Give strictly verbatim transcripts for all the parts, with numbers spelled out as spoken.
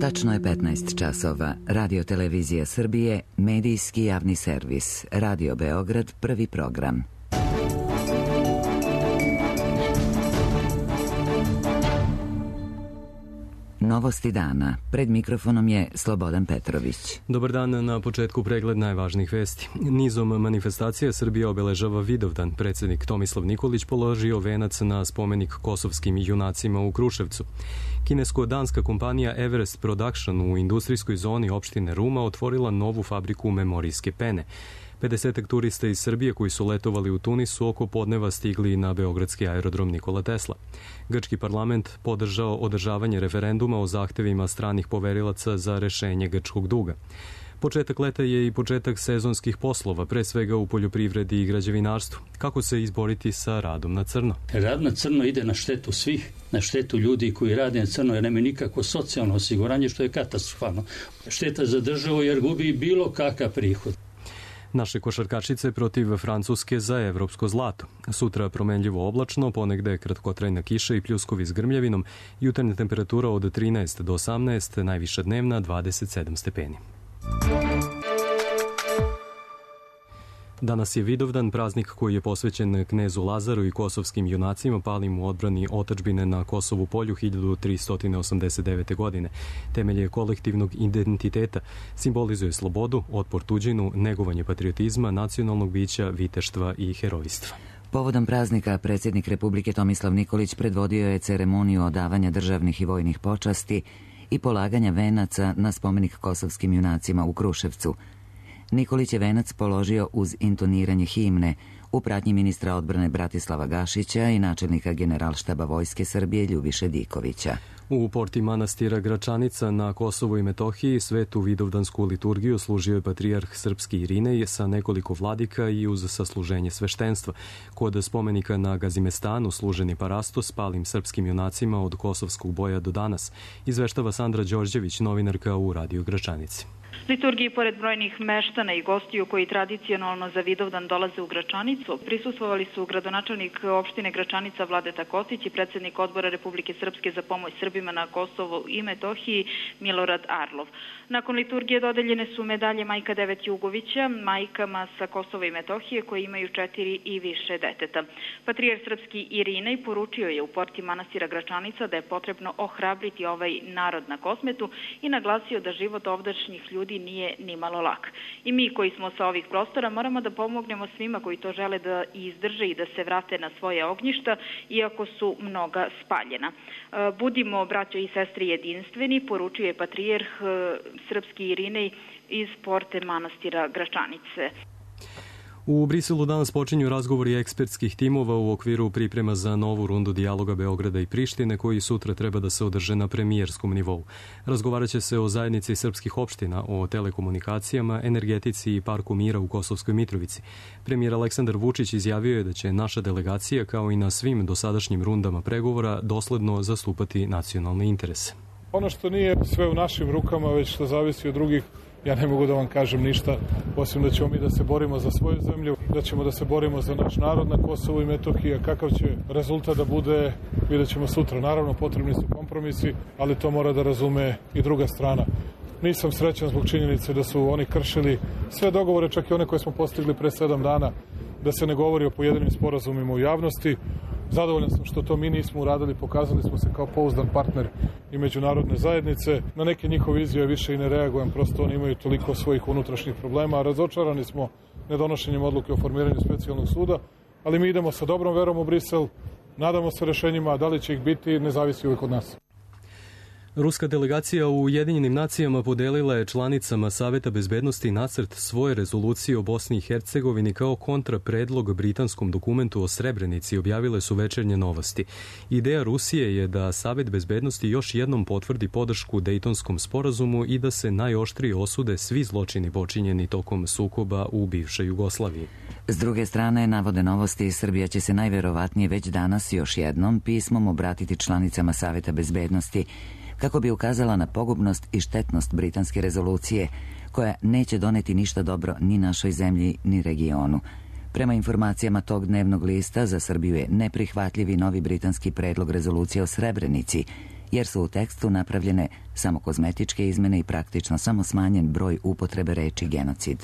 Tačno je petnaest časova. Radio Televizija Srbije, medijski javni servis. Radio Beograd, prvi program. Novosti dana. Pred mikrofonom je Slobodan Petrović. Dobar dan, na početku pregled najvažnijih vesti. Nizom manifestacija Srbija obeležava Vidovdan. Predsednik Tomislav Nikolić položio venac na spomenik kosovskim junacima u Kruševcu. Kinesko-danska kompanija Everest Production u industrijskoj zoni opštine Ruma otvorila novu fabriku memorijske pene. pedesetak turista iz Srbije koji su letovali u Tunisu oko podneva stigli na beogradski aerodrom Nikola Tesla. Grčki parlament podržao održavanje referenduma o zahtevima stranih poverilaca za rešenje grčkog duga. Početak leta je i početak sezonskih poslova, pre svega u poljoprivredi i građevinarstvu. Kako se izboriti sa radom na crno? Rad na crno ide na štetu svih, na štetu ljudi koji rade na crno, jer nema nikakvo socijalno osiguranje, što je katastrofalno. Šteta za državu jer gubi bilo kakav prihod. Naše košarkašice protiv Francuske za evropsko zlato. Sutra promenljivo oblačno, ponegde kratkotrajna kiša i pljuskovi s grmljavinom, jutarnja temperatura od trinaest do osamnaest, najviša dnevna dvadeset sedam stepeni. Danas je Vidovdan, praznik koji je posvećen knezu Lazaru i kosovskim junacima palim u odbrani otadžbine na Kosovu polju hiljadu tristo osamdeset devete. godine. Temelj je kolektivnog identiteta, simbolizuje slobodu, otpor tuđinu, negovanje patriotizma, nacionalnog bića, viteštva i herojstva. Povodom praznika predsjednik Republike Tomislav Nikolić predvodio je ceremoniju odavanja državnih i vojnih počasti i polaganja venaca na spomenik kosovskim junacima u Kruševcu. Nikolić je venac položio uz intoniranje himne u pratnji ministra odbrane Bratislava Gašića i načelnika Generalštaba Vojske Srbije Ljubiše Dikovića. U porti manastira Gračanica na Kosovu i Metohiji svetu vidovdansku liturgiju služio je patrijarh srpski Irinej sa nekoliko vladika i uz sasluženje sveštenstva. Kod spomenika na Gazimestanu služen je parastos palim srpskim junacima od kosovskog boja do danas, izveštava Sandra Đorđević, novinarka u Radio Gračanici. Liturgiji, pored brojnih meštana i gostiju koji tradicionalno za Vidovdan dolaze u Gračanicu, prisustvovali su gradonačelnik opštine Gračanica Vladeta Kostić i predsednik odbora Republike Srpske za pomoć Srbima na Kosovu i Metohiji Milorad Arlov. Nakon liturgije dodeljene su medalje Majka Devet Jugovića, majkama sa Kosova i Metohije koji imaju četiri i više deteta. Patrijarh srpski Irinej poručio je u porti manastira Gračanica da je potrebno ohrabriti ovaj narod na Kosmetu i naglasio da život ovdašnjih ljudi nije ni malo lak. I mi koji smo sa ovih prostora moramo da pomognemo svima koji to žele da izdrže i da se vrate na svoje ognjišta, iako su mnoga spaljena. Budimo, braćo i sestre, jedinstveni, poručio je patrijarh srpski Irinej iz porte manastira Gračanice. U Briselu danas počinju razgovori ekspertskih timova u okviru priprema za novu rundu dijaloga Beograda i Prištine, koji sutra treba da se održe na premijerskom nivou. Razgovarat će se o zajednici srpskih opština, o telekomunikacijama, energetici i parku mira u Kosovskoj Mitrovici. Premijer Aleksandar Vučić izjavio je da će naša delegacija, kao i na svim dosadašnjim rundama pregovora, dosledno zastupati nacionalne interese. Ono što nije sve u našim rukama, već što zavisi od drugih, ja ne mogu da vam kažem ništa, osim da ćemo mi da se borimo za svoju zemlju, da ćemo da se borimo za naš narod na Kosovu i Metohiji, a kakav će rezultat da bude, vidjet ćemo sutra. Naravno, potrebni su kompromisi, ali to mora da razume i druga strana. Nisam srećan zbog činjenice da su oni kršili sve dogovore, čak i one koje smo postigli pre sedam dana, da se ne govori o pojedinim sporazumima u javnosti. Zadovoljan sam što to mi nismo uradili, pokazali smo se kao pouzdan partner i međunarodne zajednice. Na neke njihove izjave više i ne reagujem, prosto oni imaju toliko svojih unutrašnjih problema, a razočarani smo nedonošenjem odluke o formiranju specijalnog suda, ali mi idemo sa dobrom verom u Brisel, nadamo se rešenjima, a da li će ih biti, ne zavisi uvijek od nas. Ruska delegacija u Ujedinjenim nacijama podelila je članicama Saveta bezbednosti nacrt svoje rezolucije o Bosni i Hercegovini kao kontrapredlog britanskom dokumentu o Srebrenici, objavile su Večernje novosti. Ideja Rusije je da Savet bezbednosti još jednom potvrdi podršku Dejtonskom sporazumu i da se najoštrije osude svi zločini počinjeni tokom sukoba u bivšoj Jugoslaviji. S druge strane, navode novosti, Srbija će se najverovatnije već danas još jednom pismom obratiti članicama Saveta bezbednosti kako bi ukazala na pogubnost i štetnost britanske rezolucije, koja neće doneti ništa dobro ni našoj zemlji, ni regionu. Prema informacijama tog dnevnog lista, za Srbiju je neprihvatljivi novi britanski predlog rezolucije o Srebrenici, jer su u tekstu napravljene samo kozmetičke izmene i praktično samo smanjen broj upotrebe reči genocid.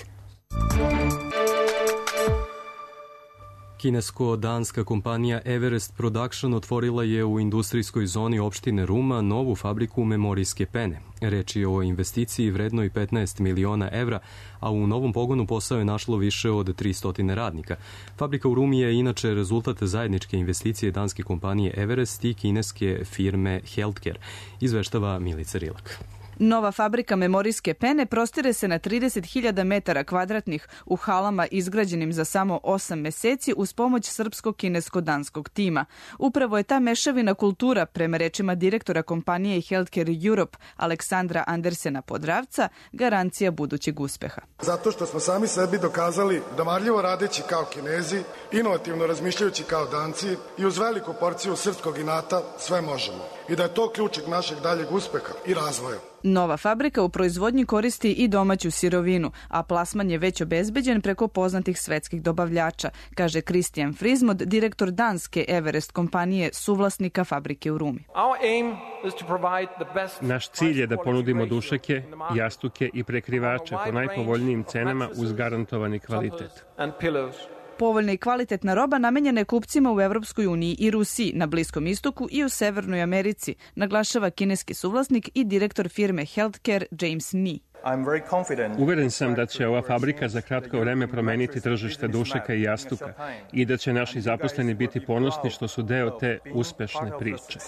Kinesko-danska kompanija Everest Production otvorila je u industrijskoj zoni opštine Ruma novu fabriku memorijske pene. Reč je o investiciji vrednoj petnaest miliona evra, a u novom pogonu posao je našlo više od tristo radnika. Fabrika u Rumi je inače rezultat zajedničke investicije danske kompanije Everest i kineske firme Healthcare, izveštava Milica Rilak. Nova fabrika memorijske pene prostire se na trideset hiljada metara kvadratnih u halama izgrađenim za samo osam meseci uz pomoć srpsko-kinesko-danskog tima. Upravo je ta mešavina kultura, prema rečima direktora kompanije Healthcare Europe Aleksandra Andersena Podravca, garancija budućeg uspeha. Zato što smo sami sebi dokazali da marljivo radeći kao Kinezi, inovativno razmišljajući kao Danci i uz veliku porciju srpskog inata sve možemo. I da je to ključak našeg daljeg uspeha i razvoja. Nova fabrika u proizvodnji koristi i domaću sirovinu, a plasman je već obezbeđen preko poznatih svetskih dobavljača, kaže Kristijan Frizmod, direktor danske Everest kompanije, suvlasnika fabrike u Rumi. Naš cilj je da ponudimo dušeke, jastuke i prekrivače po najpovoljnijim cenama uz garantovani kvalitet. Povoljna i kvalitetna roba namenjena je kupcima u Evropskoj uniji i Rusiji, na Bliskom istoku i u Severnoj Americi, naglašava kineski suvlasnik i direktor firme Healthcare James Ni. Uveren sam da će ova fabrika za kratko vreme promeniti tržište dušeka i jastuka i da će naši zaposleni biti ponosni što su deo te uspešne priče.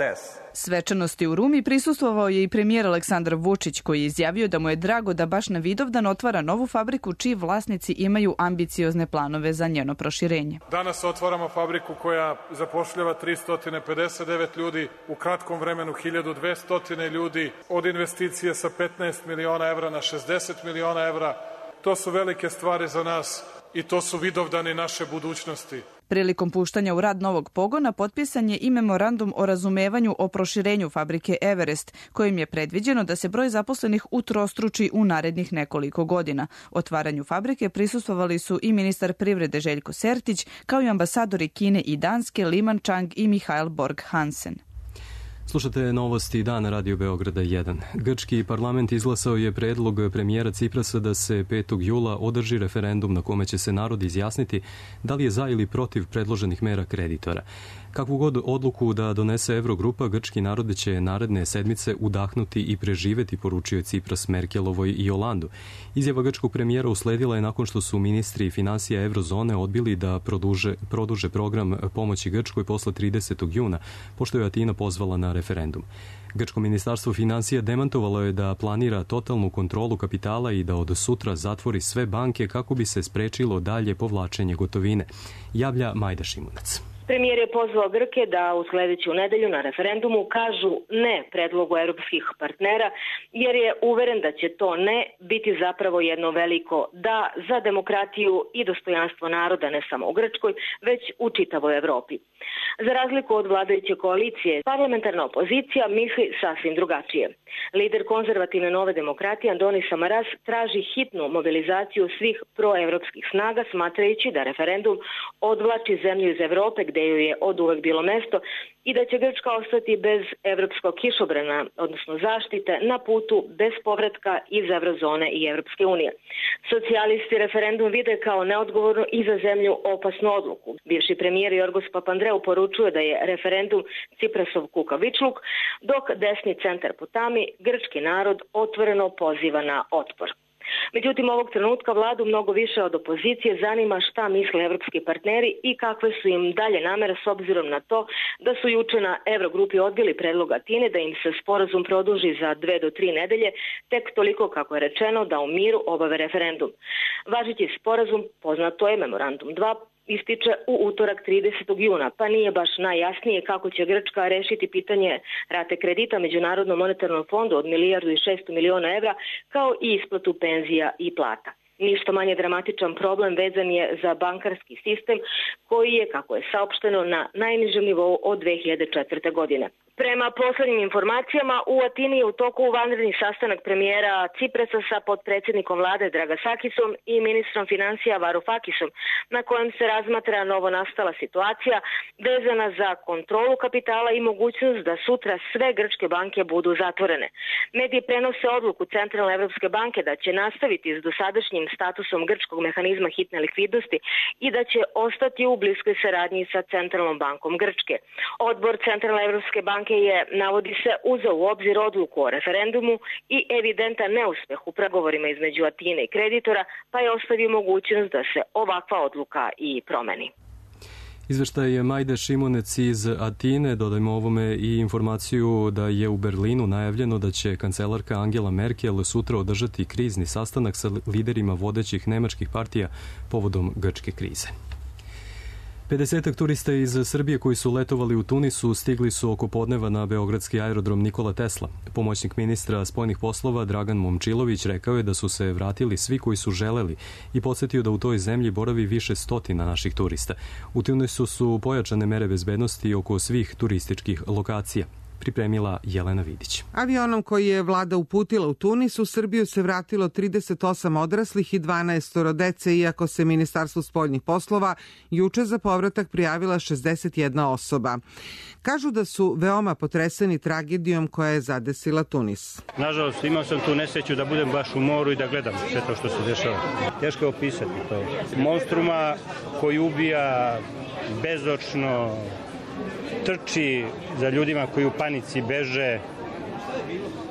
Svečanosti u Rumi prisustvovao je i premijer Aleksandar Vučić, koji je izjavio da mu je drago da baš na Vidovdan otvara novu fabriku čiji vlasnici imaju ambiciozne planove za njeno proširenje. Danas otvaramo fabriku koja zapošljava tristo pedeset devet ljudi, u kratkom vremenu hiljadu dvesta ljudi, od investicije sa petnaest miliona evra na šezdeset miliona evra. To su velike stvari za nas i to su vidovdani naše budućnosti. Prilikom puštanja u rad novog pogona potpisan je i memorandum o razumevanju o proširenju fabrike Everest, kojim je predviđeno da se broj zaposlenih utrostruči u narednih nekoliko godina. Otvaranju fabrike prisustvovali su i ministar privrede Željko Sertić, kao i ambasadori Kine i Danske Liman Chang i Mihael Borg Hansen. Slušate novosti dana Radio Beograda jedan. Grčki parlament izglasao je predlog premijera Ciprasa da se petog jula održi referendum na kome će se narod izjasniti da li je za ili protiv predloženih mera kreditora. Kakvu god odluku da donese Evrogrupa, grčki narod će naredne sedmice udahnuti i preživeti, poručio je Cipras Merkelovoj i Holandu. Izjava grčkog premijera usledila je nakon što su ministri finansija Evrozone odbili da produže, produže program pomoći Grčkoj posle tridesetog juna, pošto je Atina pozvala na referendum. Grčko ministarstvo finansija demantovalo je da planira totalnu kontrolu kapitala i da od sutra zatvori sve banke kako bi se sprečilo dalje povlačenje gotovine, javlja Majda Šimunac. Premijer je pozvao Grke da u sledeću nedelju na referendumu kažu ne predlogu europskih partnera, jer je uveren da će to ne biti zapravo jedno veliko da za demokratiju i dostojanstvo naroda ne samo u Grčkoj, već u čitavoj Evropi. Za razliku od vladajuće koalicije, parlamentarna opozicija misli sasvim drugačije. Lider konzervativne Nove demokratije Andonis Samaras traži hitnu mobilizaciju svih proevropskih snaga, smatrajući da referendum odvlači zemlju iz Evrope, gde joj je od uvek bilo mesto, i da će Grčka ostati bez evropskog kišobrana, odnosno zaštite, na putu bez povratka iz Evrozone i Evropske unije. Socijalisti referendum vide kao neodgovorno i za zemlju opasnu odluku. Bivši premijer Jorgos Papandreou poručuje da je referendum Ciprasov kukavičluk, dok desni centar potami, grčki narod otvoreno poziva na otpor. Međutim, ovog trenutka vladu mnogo više od opozicije zanima šta misle evropski partneri i kakve su im dalje namere s obzirom na to da su juče na Evrogrupi odbili predlog Atine da im se sporazum produži za dve do tri nedelje, tek toliko kako je rečeno da u miru obave referendum. Važeći sporazum, poznato je Memorandum dva, ističe u utorak tridesetog juna, pa nije baš najjasnije kako će Grčka rešiti pitanje rate kredita Međunarodnom monetarnom fondu od milijardu i šesto miliona evra, kao i isplatu penzija i plata. Ništa manje dramatičan problem vezan je za bankarski sistem koji je, kako je saopšteno, na najnižem nivou od dve hiljade četvrte. godine. Prema poslednjim informacijama, u Atini je u toku vanredni sastanak premijera Ciprasa sa potpredsjednikom vlade Dragasakisom i ministrom financija Varoufakisom, na kojem se razmatra novonastala situacija vezana za kontrolu kapitala i mogućnost da sutra sve grčke banke budu zatvorene. Mediji prenose odluku Centralne Evropske banke da će nastaviti s dosadašnjim statusom grčkog mehanizma hitne likvidnosti i da će ostati u bliskoj saradnji sa Centralnom bankom Grčke. Odbor Centralne Evropske banke je, navodi se, uzeo u obzir odluku o referendumu i evidentan neuspeh u pregovorima između Atine i kreditora, pa je ostavio mogućnost da se ovakva odluka i promeni. Izveštaj je Majde Šimunec iz Atine. Dodajmo ovome i informaciju da je u Berlinu najavljeno da će kancelarka Angela Merkel sutra održati krizni sastanak sa liderima vodećih nemačkih partija povodom grčke krize. pedesetak turista iz Srbije koji su letovali u Tunisu stigli su oko podneva na beogradski aerodrom Nikola Tesla. Pomoćnik ministra spoljnih poslova Dragan Momčilović rekao je da su se vratili svi koji su želeli i podsjetio da u toj zemlji boravi više stotina naših turista. U Tunisu su pojačane mere bezbednosti oko svih turističkih lokacija. Pripremila Jelena Vidić. Avionom koji je vlada uputila u Tunis, u Srbiju se vratilo trideset osam odraslih i dvanaest dece, iako se Ministarstvu spoljnih poslova juče za povratak prijavila šezdeset jedna osoba. Kažu da su veoma potreseni tragedijom koja je zadesila Tunis. Nažalost, imao sam tu nesreću da budem baš u moru i da gledam sve to što se dešava. Teško je opisati to. Monstruma koji ubija bezočno, trči za ljudima koji u panici beže.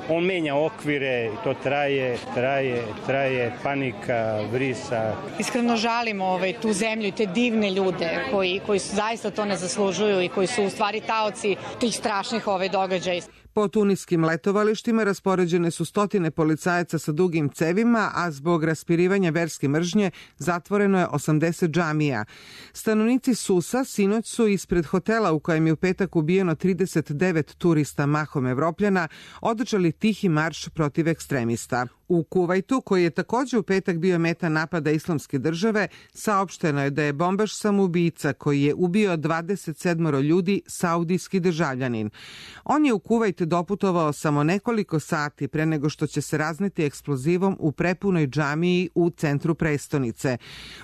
On menja okvire i to traje, traje, traje, panika, vrisa. Iskreno žalimo ovaj, tu zemlju i te divne ljude koji, koji su, zaista to ne zaslužuju i koji su u stvari taoci tih strašnih ovaj, događaja. Po tuniskim letovalištima raspoređene su stotine policajaca sa dugim cevima, a zbog raspirivanja verske mržnje zatvoreno je osamdeset džamija. Stanovnici Susa sinoć su ispred hotela u kojem je u petak ubijeno trideset devet turista mahom Evropljana održali tihi marš protiv ekstremista. U Kuvajtu, koji je takođe u petak bio meta napada Islamske države, saopšteno je da je bombaš samoubica koji je ubio dvadeset sedam ljudi saudijski državljanin. On je u Kuvajt doputovao samo nekoliko sati pre nego što će se razneti eksplozivom u prepunoj džamiji u centru prestonice.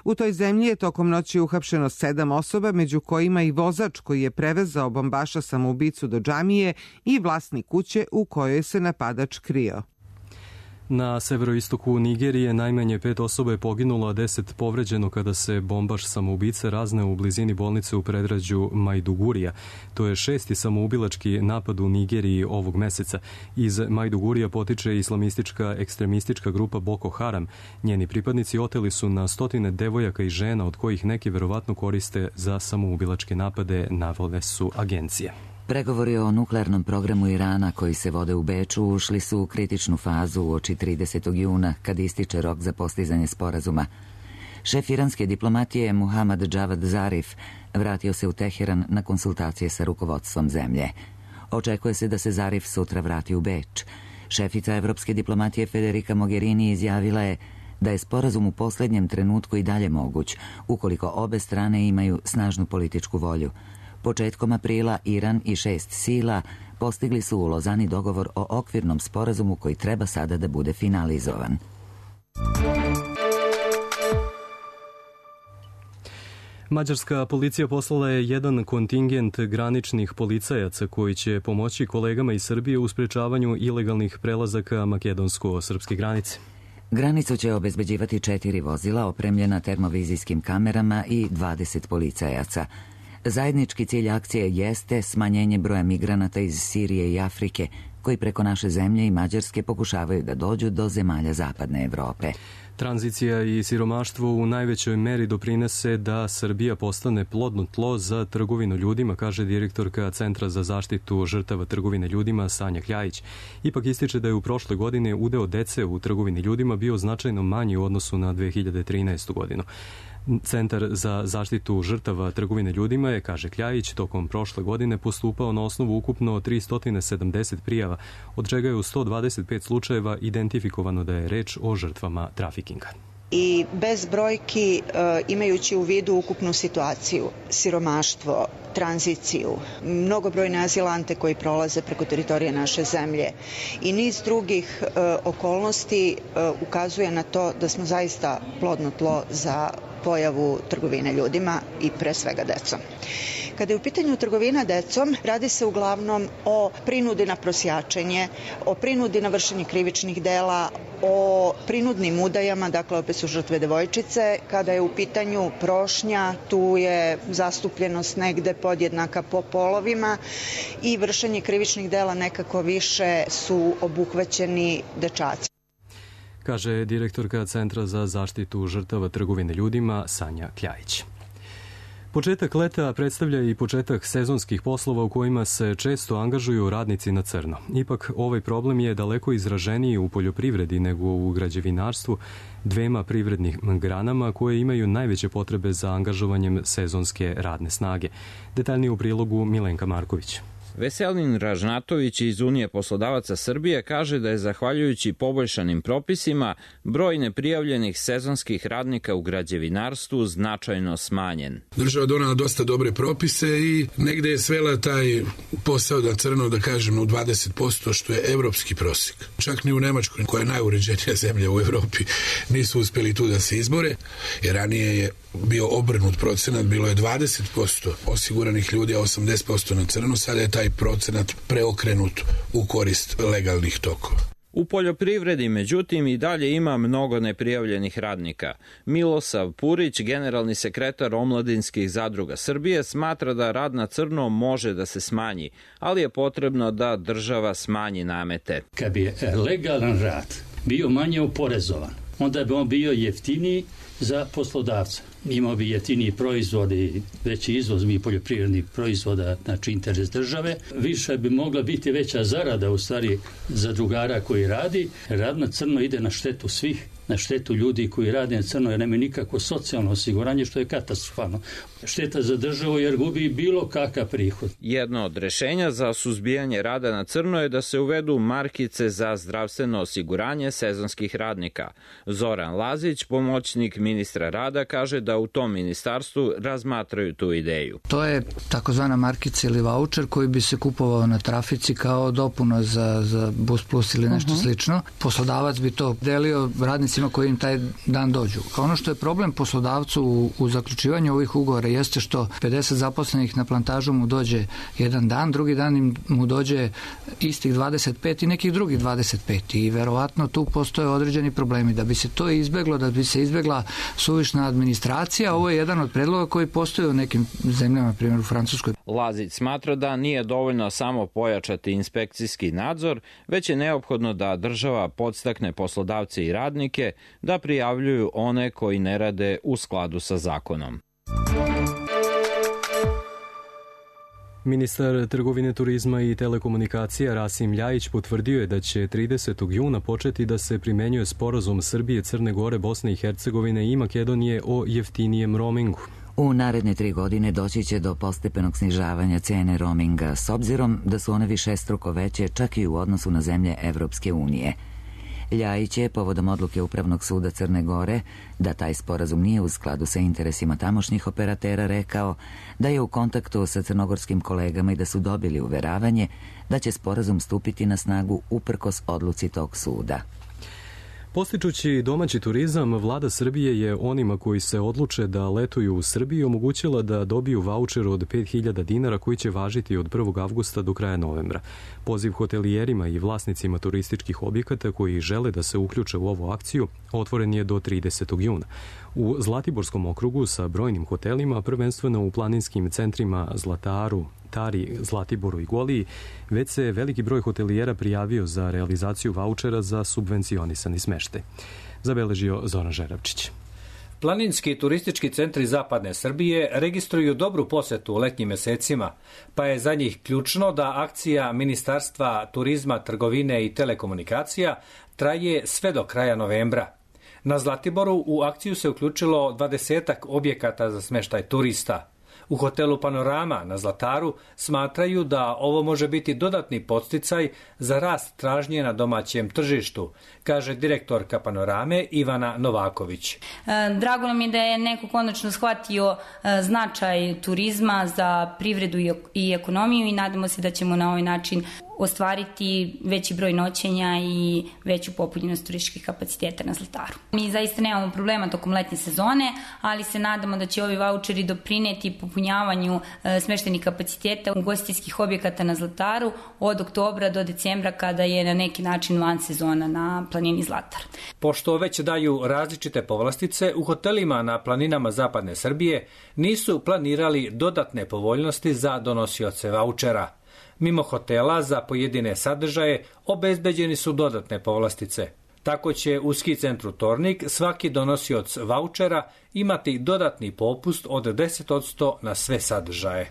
U toj zemlji je tokom noći uhapšeno sedam osoba, među kojima i vozač koji je prevezao bombaša samoubicu do džamije i vlasnik kuće u kojoj se napadač krio. Na severoistoku Nigerije najmanje pet osoba je poginulo, a deset povređeno kada se bombaš samoubice razneo u blizini bolnice u predgrađu Majdugurija. To je šesti samoubilački napad u Nigeriji ovog meseca. Iz Majdugurija potiče islamistička ekstremistička grupa Boko Haram. Njeni pripadnici oteli su na stotine devojaka i žena, od kojih neki verovatno koriste za samoubilačke napade, navode su agencije. Pregovori o nuklearnom programu Irana koji se vode u Beču ušli su u kritičnu fazu uoči tridesetog juna, kad ističe rok za postizanje sporazuma. Šef iranske diplomatije Muhammad Javad Zarif vratio se u Teheran na konsultacije sa rukovodstvom zemlje. Očekuje se da se Zarif sutra vrati u Beč. Šefica evropske diplomatije Federica Mogherini izjavila je da je sporazum u poslednjem trenutku i dalje moguć, ukoliko obe strane imaju snažnu političku volju. Početkom aprila Iran i šest sila postigli su u Lozani dogovor o okvirnom sporazumu koji treba sada da bude finalizovan. Mađarska policija poslala je jedan kontingent graničnih policajaca koji će pomoći kolegama iz Srbije u sprečavanju ilegalnih prelazaka makedonsko-srpske granice. Granicu će obezbeđivati četiri vozila opremljena termovizijskim kamerama i dvadeset policajaca. Zajednički cilj akcije jeste smanjenje broja migranata iz Sirije i Afrike, koji preko naše zemlje i Mađarske pokušavaju da dođu do zemalja zapadne Evrope. Tranzicija i siromaštvo u najvećoj meri doprinese da Srbija postane plodno tlo za trgovinu ljudima, kaže direktorka Centra za zaštitu žrtava trgovine ljudima Sanja Kljajić. Ipak ističe da je u prošle godine udeo dece u trgovini ljudima bio značajno manji u odnosu na dve hiljade trinaestu. godinu. Centar za zaštitu žrtava trgovine ljudima je, kaže Kljajić, tokom prošle godine postupao na osnovu ukupno tristo sedamdeset prijava, od čega je u sto dvadeset pet slučajeva identifikovano da je reč o žrtvama trafikinga. i bez brojki, imajući u vidu ukupnu situaciju, siromaštvo, tranziciju, mnogobrojne azilante koji prolaze preko teritorije naše zemlje i niz drugih e, okolnosti e, ukazuje na to da smo zaista plodno tlo za pojavu trgovine ljudima i pre svega decom. Kada je u pitanju trgovina decom, radi se uglavnom o prinudi na prosjačenje, o prinudi na vršenje krivičnih dela, o prinudnim udajama, dakle opet su žrtve devojčice. Kada je u pitanju prošnja, tu je zastupljenost negde podjednaka po polovima i vršenje krivičnih dela nekako više su obuhvaćeni dečaci. Kaže direktorka Centra za zaštitu žrtava trgovine ljudima Sanja Kljajić. Početak leta predstavlja i početak sezonskih poslova u kojima se često angažuju radnici na crno. Ipak, ovaj problem je daleko izraženiji u poljoprivredi nego u građevinarstvu, dvema privrednih granama koje imaju najveće potrebe za angažovanjem sezonske radne snage. Detaljnije u prilogu Milenka Marković. Veselin Ražnatović iz Unije poslodavaca Srbije kaže da je zahvaljujući poboljšanim propisima broj neprijavljenih sezonskih radnika u građevinarstvu značajno smanjen. Država donala dosta dobre propise i negde je svela taj posao na crno, da kažem, u dvadeset posto, što je evropski prosek. Čak ni u Nemačkoj, koja je najuređenija zemlja u Evropi, nisu uspeli tu da se izbore, jer ranije je bio obrnut procenat, bilo je dvadeset posto osiguranih ljudi, a osamdeset posto na crno, sada je taj procenat preokrenut u korist legalnih tokova. U poljoprivredi, međutim, i dalje ima mnogo neprijavljenih radnika. Milosav Purić, generalni sekretar Omladinskih zadruga Srbije, smatra da rad na crno može da se smanji, ali je potrebno da država smanji namete. Kad bi legalan rad bio manje oporezovan, onda bi on bio jeftiniji za poslodavca. Imao bi jeftiniji proizvodi, veći izvoz bi poljoprivrednih proizvoda, znači interes države. Više bi mogla biti veća zarada u stvari za drugara koji radi. Rad na crno ide na štetu svih, na štetu ljudi koji rade na crno, jer nema nikakvo socijalno osiguranje, što je katastrofalno. Šteta za državu jer gubi bilo kakav prihod. Jedno od rešenja za suzbijanje rada na crno je da se uvedu markice za zdravstveno osiguranje sezonskih radnika. Zoran Lazić, pomoćnik ministra rada, kaže da u tom ministarstvu razmatraju tu ideju. To je takozvana markica ili vaučer koji bi se kupovao na trafici kao dopuna za, za Bus Plus ili nešto uh-huh. slično. Poslodavac bi to delio radnicima koji im taj dan dođu. Ono što je problem poslodavcu u, u zaključivanju ovih ugovora jeste što pedeset zaposlenih na plantažu mu dođe jedan dan, drugi dan im mu dođe istih dvadeset pet i nekih drugih dvadeset pet i verovatno tu postoje određeni problemi. Da bi se to izbeglo, da bi se izbegla suvišna administracija, ovo je jedan od predloga koji postoje u nekim zemljama, na primjer u Francuskoj. Lazić smatra da nije dovoljno samo pojačati inspekcijski nadzor, već je neophodno da država podstakne poslodavce i radnike da prijavljuju one koji ne rade u skladu sa zakonom. Ministar trgovine, turizma i telekomunikacija Rasim Ljajić potvrdio je da će tridesetog juna početi da se primenjuje sporazum Srbije, Crne Gore, Bosne i Hercegovine i Makedonije o jeftinijem roamingu. U naredne tri godine doći će do postepenog snižavanja cene roaminga, s obzirom da su one višestruko veće čak i u odnosu na zemlje Evropske unije. Ljajić je povodom odluke Upravnog suda Crne Gore da taj sporazum nije u skladu sa interesima tamošnjih operatera rekao da je u kontaktu sa crnogorskim kolegama i da su dobili uveravanje da će sporazum stupiti na snagu uprkos odluci tog suda. Postičući domaći turizam, vlada Srbije je onima koji se odluče da letuju u Srbiji omogućila da dobiju vaučer od pet hiljada dinara koji će važiti od prvog avgusta do kraja novembra. Poziv hotelijerima i vlasnicima turističkih objekata koji žele da se uključe u ovu akciju otvoren je do tridesetog juna. U Zlatiborskom okrugu sa brojnim hotelima, prvenstveno u planinskim centrima Zlataru, Tari, Zlatiboru i Goliji, već se veliki broj hotelijera prijavio za realizaciju vaučera za subvencionisani smeštaj. Zabeležio Zoran Žeravčić. Planinski turistički centri zapadne Srbije registruju dobru posetu u letnjim mesecima, pa je za njih ključno da akcija Ministarstva turizma, trgovine i telekomunikacija traje sve do kraja novembra. Na Zlatiboru u akciju se uključilo dvadesetak objekata za smeštaj turista. U hotelu Panorama na Zlataru smatraju da ovo može biti dodatni podsticaj za rast tražnje na domaćem tržištu, kaže direktorka Panorame Ivana Novaković. Drago nam je da je neko konačno shvatio značaj turizma za privredu i ekonomiju i nadamo se da ćemo na ovaj način ostvariti veći broj noćenja i veću popunjenost turističkih kapaciteta na Zlataru. Mi zaista nemamo problema tokom letnje sezone, ali se nadamo da će ovi vaučeri doprineti popunjavanju smeštenih kapaciteta ugostiteljskih objekata na Zlataru od oktobra do decembra kada je na neki način van sezona na planini Zlatar. Pošto već daju različite povlastice, u hotelima na planinama zapadne Srbije nisu planirali dodatne povoljnosti za donosioce vaučera. Mimo hotela za pojedine sadržaje obezbeđeni su dodatne povlastice. Tako će u ski centru Tornik svaki donosioc vaučera imati dodatni popust od deset posto na sve sadržaje.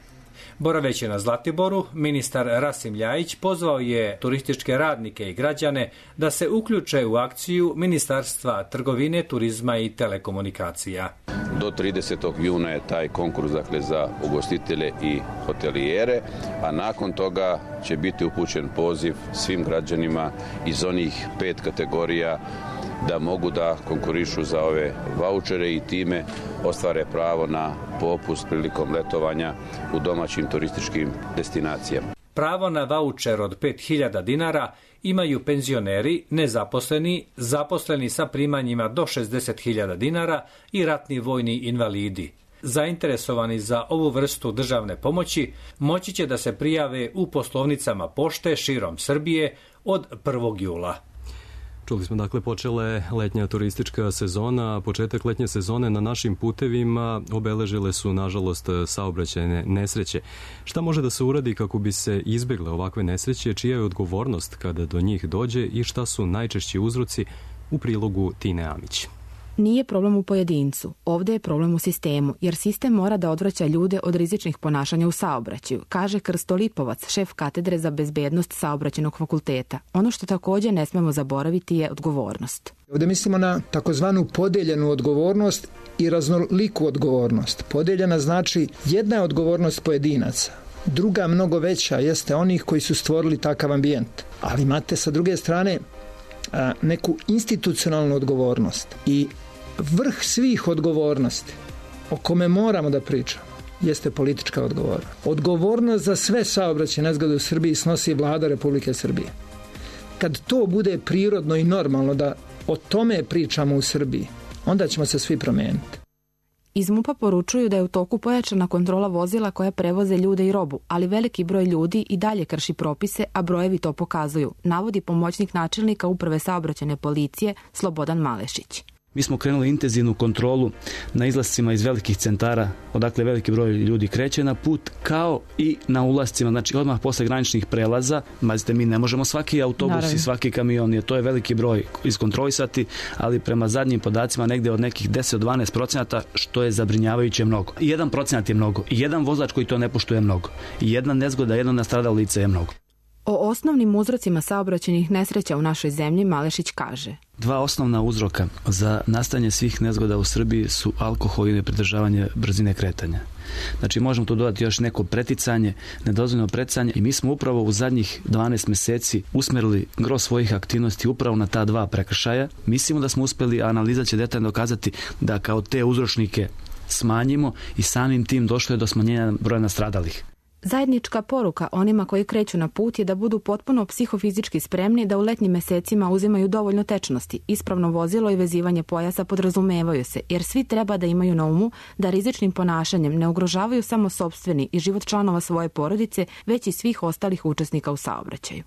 Boraveći na Zlatiboru, ministar Rasim Ljajić pozvao je turističke radnike i građane da se uključe u akciju Ministarstva trgovine, turizma i telekomunikacija. Do tridesetog juna je taj konkurs, dakle, za ugostitelje i hotelijere, a nakon toga će biti upućen poziv svim građanima iz onih pet kategorija da mogu da konkurišu za ove vaučere i time ostvare pravo na popust prilikom letovanja u domaćim turističkim destinacijama. Pravo na vaučer od pet hiljada dinara imaju penzioneri, nezaposleni, zaposleni sa primanjima do šezdeset hiljada dinara i ratni vojni invalidi. Zainteresovani za ovu vrstu državne pomoći moći će da se prijave u poslovnicama pošte širom Srbije od prvog jula. Čuli smo, dakle, počele letnja turistička sezona. Početak letnje sezone na našim putevima obeležile su, nažalost, saobraćajne nesreće. Šta može da se uradi kako bi se izbegle ovakve nesreće, čija je odgovornost kada do njih dođe i šta su najčešći uzroci, u prilogu Tine Amić? Nije problem u pojedincu, ovdje je problem u sistemu, jer sistem mora da odvraća ljude od rizičnih ponašanja u saobraćaju, kaže Krsto Lipovac, šef katedre za bezbednost Saobraćajnog fakulteta. Ono što također ne smemo zaboraviti je odgovornost. Ovdje mislimo na takozvanu podeljenu odgovornost i raznoliku odgovornost. Podeljena znači jedna je odgovornost pojedinaca, druga mnogo veća jeste onih koji su stvorili takav ambijent. Ali imate sa druge strane neku institucionalnu odgovornost i vrh svih odgovornosti o kome moramo da pričamo jeste politička odgovornost. Odgovornost za sve saobraćajne nezgode u Srbiji snosi Vlada Republike Srbije. Kad to bude prirodno i normalno da o tome pričamo u Srbiji, onda ćemo se svi promijeniti. Iz MUP-a poručuju da je u toku pojačana kontrola vozila koja prevoze ljude i robu, ali veliki broj ljudi i dalje krši propise, a brojevi to pokazuju, navodi pomoćnik načelnika Uprave saobraćajne policije Slobodan Malešić. Mi smo krenuli intenzivnu kontrolu na izlascima iz velikih centara, odakle veliki broj ljudi kreće na put, kao i na ulascima, znači odmah posle graničnih prelaza. Mazite, mi ne možemo svaki autobus Naravno. i svaki kamion, jer to je veliki broj iskontrolisati, ali prema zadnjim podacima negde od nekih deset do dvanaest procenata, što je zabrinjavajuće mnogo. I jedan procenat je mnogo, i jedan vozač koji to ne poštuje je mnogo, i jedna nezgoda, jedno nastradalo lice je mnogo. O osnovnim uzrocima saobraćajnih nesreća u našoj zemlji Malešić kaže: Dva osnovna uzroka za nastajanje svih nezgoda u Srbiji su alkohol i nepridržavanje brzine kretanja. Znači možemo tu dodati još neko preticanje, nedozvoljeno preticanje, i mi smo upravo u zadnjih dvanaest meseci usmerili gro svojih aktivnosti upravo na ta dva prekršaja. Mislimo da smo uspeli, a analiza će detaljno dokazati da kao te uzročnike smanjimo i samim tim došlo je do smanjenja broja nastradalih. Zajednička poruka onima koji kreću na put je da budu potpuno psihofizički spremni, da u letnjim mesecima uzimaju dovoljno tečnosti. Ispravno vozilo i vezivanje pojasa podrazumevaju se, jer svi treba da imaju na umu da rizičnim ponašanjem ne ugrožavaju samo sopstveni i život članova svoje porodice, već i svih ostalih učesnika u saobraćaju.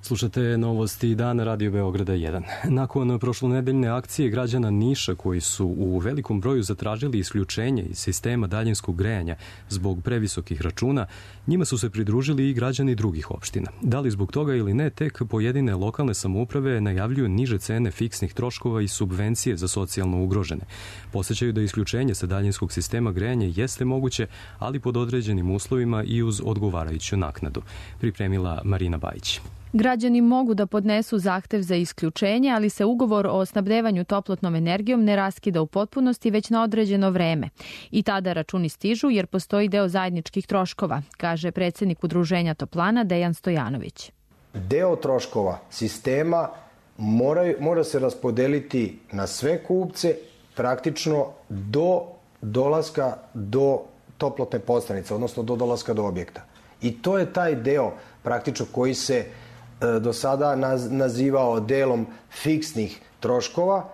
Slušate novosti dana Radio Beograda jedan. Nakon prošlonedeljne akcije građana Niša koji su u velikom broju zatražili isključenje iz sistema daljinskog grejanja zbog previsokih računa, njima su se pridružili i građani drugih opština. Da li zbog toga ili ne, tek pojedine lokalne samouprave najavljuju niže cene fiksnih troškova i subvencije za socijalno ugrožene. Podsećaju da isključenje sa daljinskog sistema grejanja jeste moguće, ali pod određenim uslovima i uz odgovarajuću naknadu. Pripremila Marina Bajić. Građani mogu da podnesu zahtev za isključenje, ali se ugovor o snabdevanju toplotnom energijom ne raskida u potpunosti već na određeno vreme. I tada računi stižu jer postoji deo zajedničkih troškova, kaže predsjednik Udruženja Toplana Dejan Stojanović. Deo troškova sistema mora, mora se raspodeliti na sve kupce praktično do dolaska do toplotne postanice, odnosno do dolaska do objekta. I to je taj deo praktično koji se e, do sada naz, nazivao delom fiksnih troškova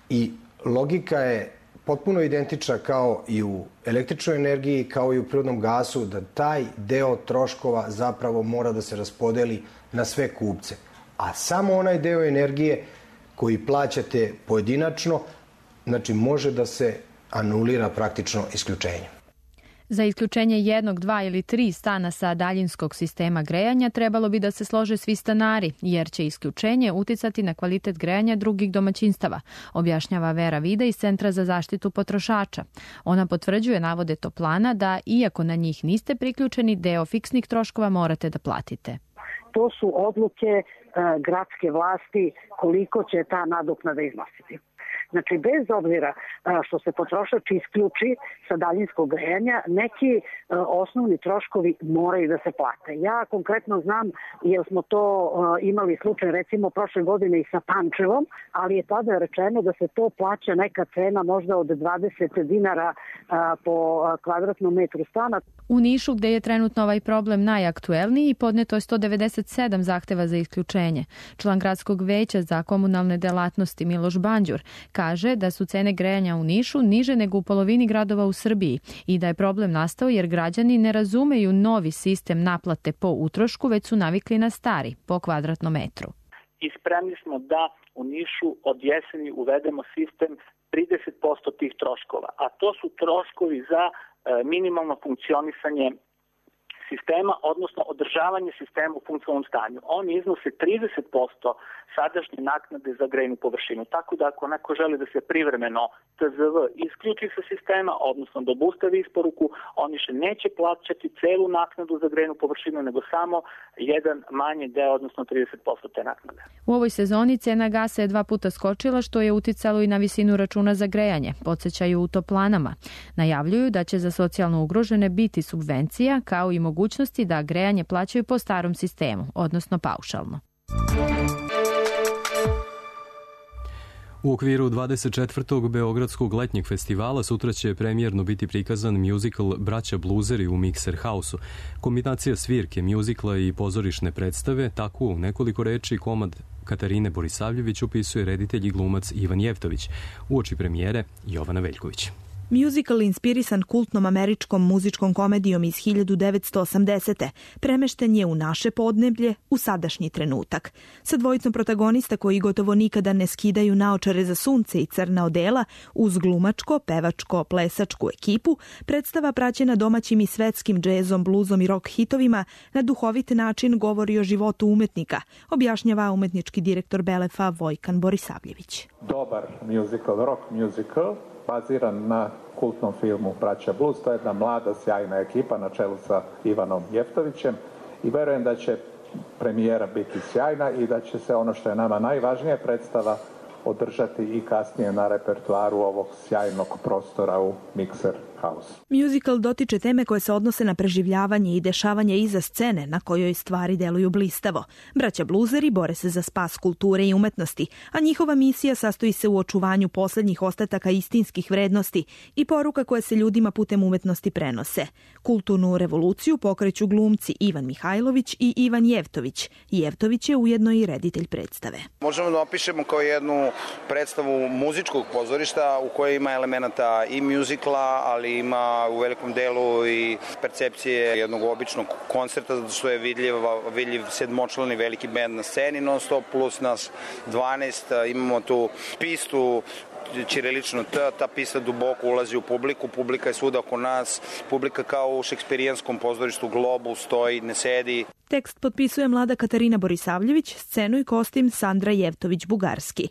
i logika je potpuno identična kao i u električnoj energiji, kao i u prirodnom gasu, da taj deo troškova zapravo mora da se raspodeli na sve kupce. A samo onaj deo energije koji plaćate pojedinačno, znači može da se anulira praktično isključenje. Za isključenje jednog, dva ili tri stana sa daljinskog sistema grejanja trebalo bi da se slože svi stanari, jer će isključenje uticati na kvalitet grejanja drugih domaćinstava, objašnjava Vera Vida iz Centra za zaštitu potrošača. Ona potvrđuje navode Toplana da, iako na njih niste priključeni, deo fiksnih troškova morate da platite. To su odluke e, gradske vlasti koliko će ta nadoknada iznositi. Znači, bez obzira što se potrošač isključi sa daljinskog grejanja, neki osnovni troškovi moraju da se plate. Ja konkretno znam, jer smo to imali slučaj recimo prošle godine i sa Pančevom, ali je tada rečeno da se to plaća neka cena možda od dvadeset dinara po kvadratnom metru stana. U Nišu, gde je trenutno ovaj problem najaktuelniji, podneto je sto devedeset sedam zahteva za isključenje. Član gradskog veća za komunalne delatnosti Miloš Banđur kaže da su cene grejanja u Nišu niže nego u polovini gradova u Srbiji i da je problem nastao jer građani ne razumeju novi sistem naplate po utrošku, već su navikli na stari, po kvadratnom metru. I spremni smo da u Nišu od jeseni uvedemo sistem trideset posto tih troškova, a to su troškovi za minimalno funkcionisanje sistema, odnosno održavanje sistema u funkcionalnom stanju. Oni iznose trideset posto sadašnje naknade za grejnu površinu. Tako da ako neko želi da se privremeno T Z V isključi sa sistema, odnosno da obustavi isporuku, oni še neće plaćati celu naknadu za grejnu površinu, nego samo jedan manji deo, odnosno trideset posto te naknade. U ovoj sezoni cena gasa je dva puta skočila, što je uticalo i na visinu računa za grejanje, podsjećaju u Toplanama. Najavljuju da će za socijalno ugrožene biti subvencija, kao i mogućnosti da grejanje plaćaju po starom sistemu, odnosno paušalno. U okviru dvadeset četvrtog Beogradskog letnjeg festivala sutra će premijerno biti prikazan muzikal Braća bluzeri u Mixer House-u. Kombinacija svirke, muzikla i pozorišne predstave, tako u nekoliko reči komad Katarine Borisavljević opisuje reditelj i glumac Ivan Jevtović. Uoči premijere Jovana Veljković. Muzikal inspirisan kultnom američkom muzičkom komedijom iz hiljadu devetsto osamdesete. premešten je u naše podneblje u sadašnji trenutak. Sa dvojicom protagonista koji gotovo nikada ne skidaju naočare za sunce i crna odela, uz glumačko, pevačko, plesačku ekipu, predstava praćena domaćim i svetskim džezom, bluzom i rock hitovima na duhovit način govori o životu umetnika, objašnjava umetnički direktor Belefa Vojkan Borisavljević. Dobar muzikal, rock muzikal, baziran na kultnom filmu Braća Blues. To je jedna mlada, sjajna ekipa na čelu sa Ivanom Jevtovićem i verujem da će premijera biti sjajna i da će se ono što je nama najvažnije predstava održati i kasnije na repertuaru ovog sjajnog prostora u Mixer House. Musical dotiče teme koje se odnose na preživljavanje i dešavanje iza scene na kojoj stvari deluju blistavo. Braća bluzeri bore se za spas kulture i umetnosti, a njihova misija sastoji se u očuvanju poslednjih ostataka istinskih vrednosti i poruka koje se ljudima putem umetnosti prenose. Kulturnu revoluciju pokreću glumci Ivan Mihajlović i Ivan Jevtović. Jevtović je ujedno i reditelj predstave. Možemo da opišemo kao jednu predstavu muzičkog pozorišta u kojoj ima elemenata i muzikla, ali ima u velikom delu i percepcije jednog običnog koncerta, zato što je vidljiv, vidljiv sedmočlani veliki bend na sceni non stop, plus nas dvanaest, imamo tu pistu ćirilično T, ta pista duboko ulazi u publiku, publika je svuda oko nas, publika kao u šekspirijanskom pozorištu Globu stoji, ne sedi. Tekst potpisuje mlada Katarina Borisavljević, scenu i kostim Sandra Jevtović-Bugarski.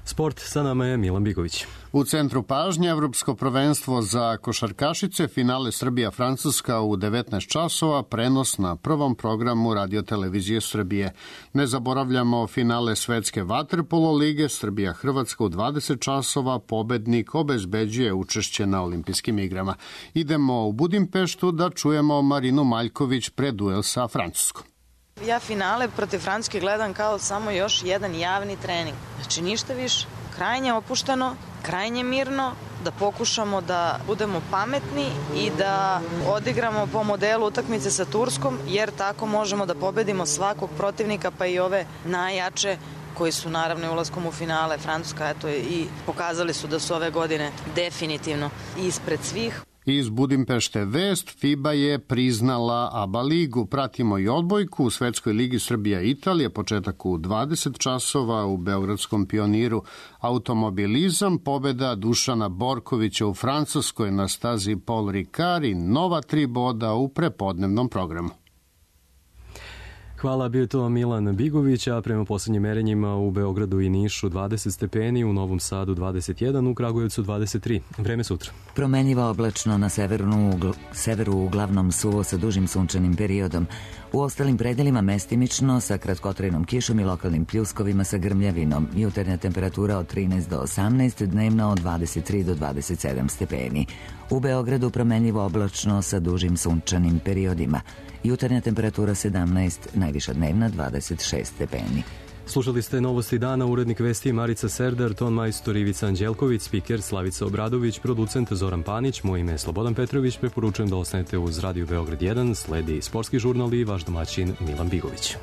Sport, sa nama je Milan Bigović. U centru pažnje Evropsko prvenstvo za košarkašice, finale Srbija-Francuska u devetnaest časova, prenos na prvom programu Radio-televizije Srbije. Ne zaboravljamo finale Svetske vaterpolo lige Srbija-Hrvatska u dvadeset časova, pobednik obezbeđuje učešće na olimpijskim igrama. Idemo u Budimpeštu da čujemo Marinu Maljković pred duel sa Francuskom. Ja finale protiv Francuske gledam kao samo još jedan javni trening. Znači ništa više. Krajnje opušteno, krajnje mirno, da pokušamo da budemo pametni i da odigramo po modelu utakmice sa Turskom, jer tako možemo da pobedimo svakog protivnika, pa i ove najjače koji su naravno ulaskom u finale. Francuska, eto, i pokazali su da su ove godine definitivno ispred svih. Iz Budimpešte vest, FIBA je priznala ABA ligu. Pratimo i odbojku u Svetskoj ligi Srbija-Italija, početak u dvadeset časova u Beogradskom Pioniru. Automobilizam, pobeda Dušana Borkovića u Francuskoj na stazi Paul Ricard i nova tri boda u prepodnevnom programu. Hvala, bio to Milan Bigović, a prema poslednjim merenjima u Beogradu i Nišu dvadeset stepeni, u Novom Sadu dvadeset jedan, u Kragujevcu dvadeset tri. Vreme sutra. Promenjivo oblačno na severu, ugl, severu uglavnom suvo sa dužim sunčanim periodom. U ostalim predelima mestimično sa kratkotrajnom kišom i lokalnim pljuskovima sa grmljavinom. Jutarnja temperatura od trinaest do osamnaest, dnevna od dvadeset tri do dvadeset sedam stepeni. U Beogradu promenjivo oblačno sa dužim sunčanim periodima. Jutarnja temperatura sedamnaest, najviša dnevna dvadeset šest stepeni. Slušali ste Novosti dana, urednik vesti Marica Serdar, ton majstor Ivica Anđelković, spiker Slavica Obradović, producent Zoran Panić, moje ime je Slobodan Petrović, preporučujem da ostanete uz Radio Beograd jedan, sledi sportski žurnal i vaš domaćin Milan Bigović.